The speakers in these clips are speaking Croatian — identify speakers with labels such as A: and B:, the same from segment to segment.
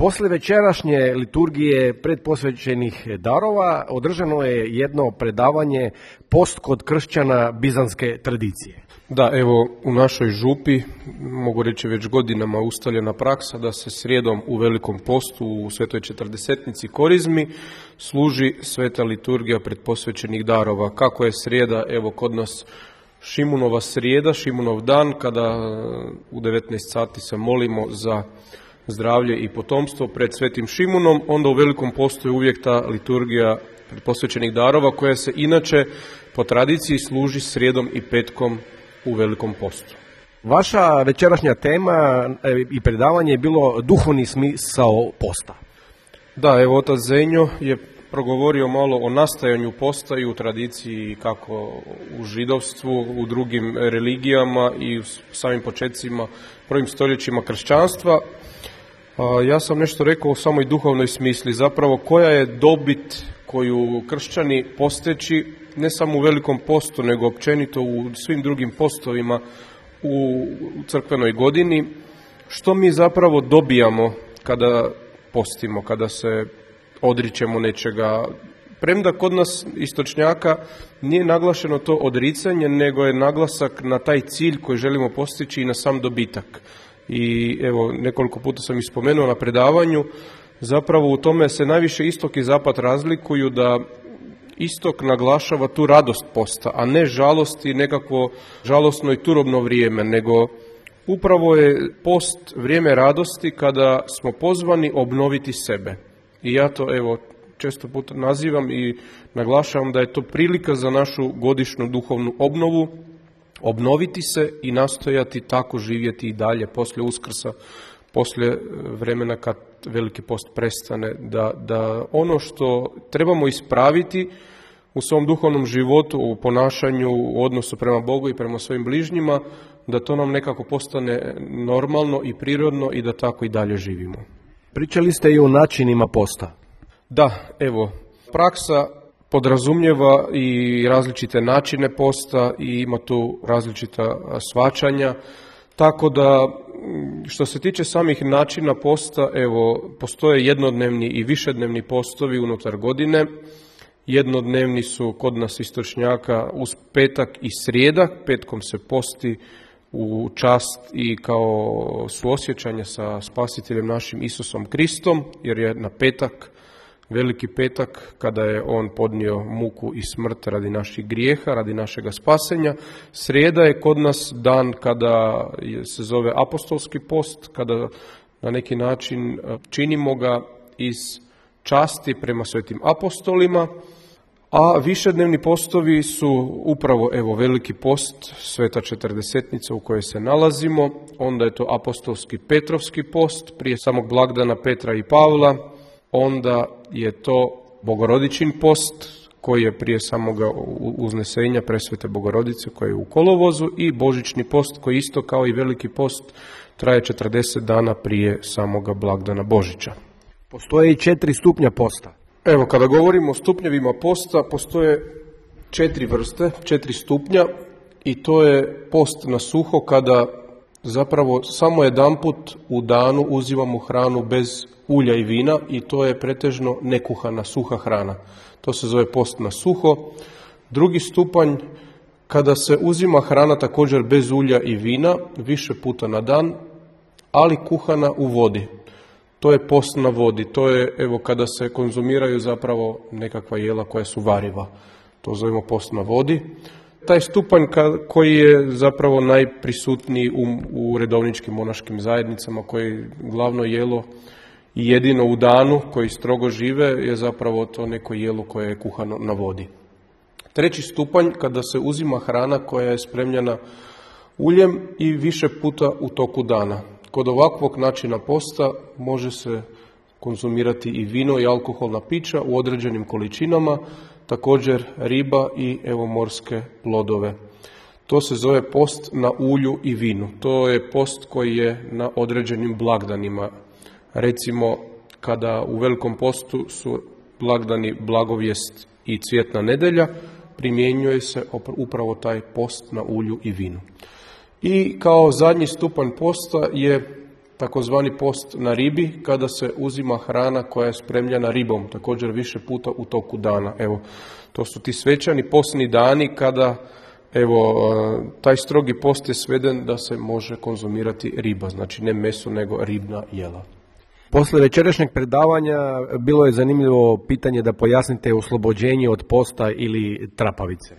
A: Poslije večerašnje liturgije predposvećenih darova održano je jedno predavanje post kod kršćana bizanske tradicije.
B: Da, evo u našoj župi, mogu reći već godinama ustaljena praksa da se srijedom u Velikom postu u Svetoj Četrdesetnici Korizmi služi sveta liturgija predposvećenih darova. Kako je srijeda, evo kod nas Šimunova srijeda, Šimunov dan, kada u 19 sati se molimo za zdravlje i potomstvo pred Svetim Šimunom, onda u Velikom postu je uvijek ta liturgija predposvećenih darova koja se inače po tradiciji služi srijedom i petkom u Velikom postu.
A: Vaša večerašnja tema i predavanje je bilo duhovni smisao posta.
B: Da, evo otac Zenjo je progovorio malo o nastajanju posta i u tradiciji kako u židovstvu, u drugim religijama i u samim početcima, prvim stoljećima kršćanstva. Ja sam nešto rekao o samoj duhovnoj smisli, zapravo koja je dobit koju kršćani posteći ne samo u Velikom postu, nego općenito u svim drugim postovima u crkvenoj godini. Što mi zapravo dobijamo kada postimo, kada se odričemo nečega? Premda kod nas istočnjaka nije naglašeno to odricanje, nego je naglasak na taj cilj koji želimo postići i na sam dobitak. I evo, nekoliko puta sam ispomenuo na predavanju, zapravo u tome se najviše istok i zapad razlikuju, da istok naglašava tu radost posta, a ne žalost i nekakvo žalosno i turobno vrijeme, nego upravo je post vrijeme radosti kada smo pozvani obnoviti sebe. I ja to evo često puta nazivam i naglašavam da je to prilika za našu godišnju duhovnu obnovu, obnoviti se i nastojati tako živjeti i dalje poslije Uskrsa, poslije vremena kad Veliki post prestane, da ono što trebamo ispraviti u svom duhovnom životu, u ponašanju, u odnosu prema Bogu i prema svojim bližnjima, da to nam nekako postane normalno i prirodno i da tako i dalje živimo.
A: Pričali ste i o načinima posta.
B: Da, evo, praksa podrazumijeva i različite načine posta i ima tu različita shvaćanja, tako da što se tiče samih načina posta, evo, postoje jednodnevni i višednevni postovi unutar godine. Jednodnevni su kod nas istočnjaka uz petak i srijeda, petkom se posti u čast i kao suosjećanje sa Spasiteljem našim Isusom Kristom, jer je na petak, Veliki petak, kada je on podnio muku i smrt radi naših grijeha, radi našega spasenja. Srijeda je kod nas dan kada se zove apostolski post, kada na neki način činimo ga iz časti prema svetim apostolima, a višednevni postovi su upravo evo Veliki post, Sveta Četrdesetnica u kojoj se nalazimo, onda je to apostolski Petrovski post prije samog blagdana Petra i Pavla, onda je to Bogorodičin post koji je prije samoga uznesenja Presvete Bogorodice koji je u kolovozu i Božićni post koji isto kao i Veliki post traje 40 dana prije samoga blagdana Božića.
A: Postoje i 4 stupnja posta.
B: Evo, kada govorimo o stupnjevima posta, postoje 4 vrste, 4 stupnja i to je post na suho kada zapravo samo jedanput u danu uzimamo hranu bez ulja i vina i to je pretežno nekuhana, suha hrana. To se zove post na suho. Drugi stupanj, kada se uzima hrana također bez ulja i vina, više puta na dan, ali kuhana u vodi. To je post na vodi, to je evo kada se konzumiraju zapravo nekakva jela koja su variva. To zovemo post na vodi. Taj stupanj koji je zapravo najprisutniji u redovničkim monaškim zajednicama, koji je glavno jelo i jedino u danu koji strogo žive je zapravo to neko jelo koje je kuhano na vodi. Treći stupanj, kada se uzima hrana koja je spremljena uljem i više puta u toku dana. Kod ovakvog načina posta može se konzumirati i vino i alkoholna pića u određenim količinama, također riba i evo morske plodove. To se zove post na ulju i vinu. To je post koji je na određenim blagdanima. Recimo, kada u Velikom postu su blagdani Blagovijest i Cvjetna nedjelja, primjenjuje se upravo taj post na ulju i vinu. I kao zadnji stupanj posta je takozvani post na ribi, kada se uzima hrana koja je spremljena ribom, također više puta u toku dana. Evo, to su ti svečani postni dani kada taj strogi post je sveden da se može konzumirati riba, znači ne meso nego ribna jela.
A: Poslije večerašnjeg predavanja bilo je zanimljivo pitanje da pojasnite oslobođenje od posta ili trapavice.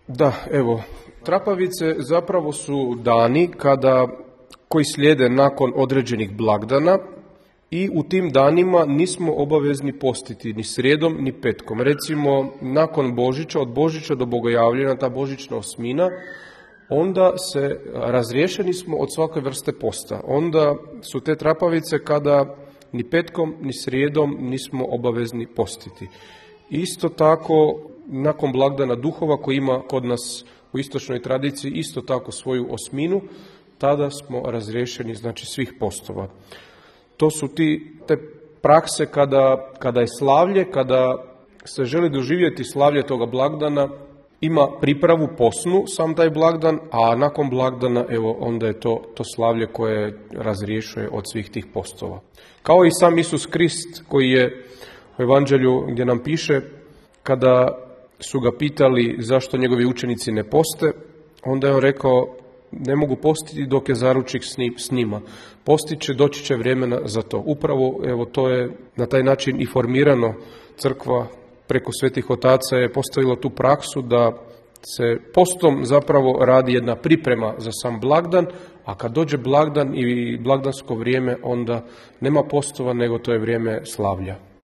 B: Da, evo, trapavice zapravo su dani koji slijede nakon određenih blagdana i u tim danima nismo obavezni postiti ni srijedom ni petkom. Recimo, nakon Božića, od Božića do Bogojavljena, ta božićna osmina, onda se razriješeni smo od svake vrste posta. Onda su te trapavice kada ni petkom ni srijedom nismo obavezni postiti. Isto tako, nakon blagdana duhova koji ima kod nas u istočnoj tradiciji isto tako svoju osminu, tada smo razriješeni, znači, svih postova. To su te prakse kada je slavlje, kada se želi doživjeti slavlje toga blagdana, ima pripravu posnu sam taj blagdan, a nakon blagdana onda je to slavlje koje razriješuje od svih tih postova. Kao i sam Isus Krist koji je u Evanđelju gdje nam piše, kada su ga pitali zašto njegovi učenici ne poste, onda je on rekao, ne mogu postiti dok je zaručnik s njima. Postit će, doći će vremena za to. Upravo to je na taj način i formirano. Crkva preko svetih otaca je postavila tu praksu da se postom zapravo radi jedna priprema za sam blagdan, a kad dođe blagdan i blagdansko vrijeme, onda nema postova, nego to je vrijeme slavlja.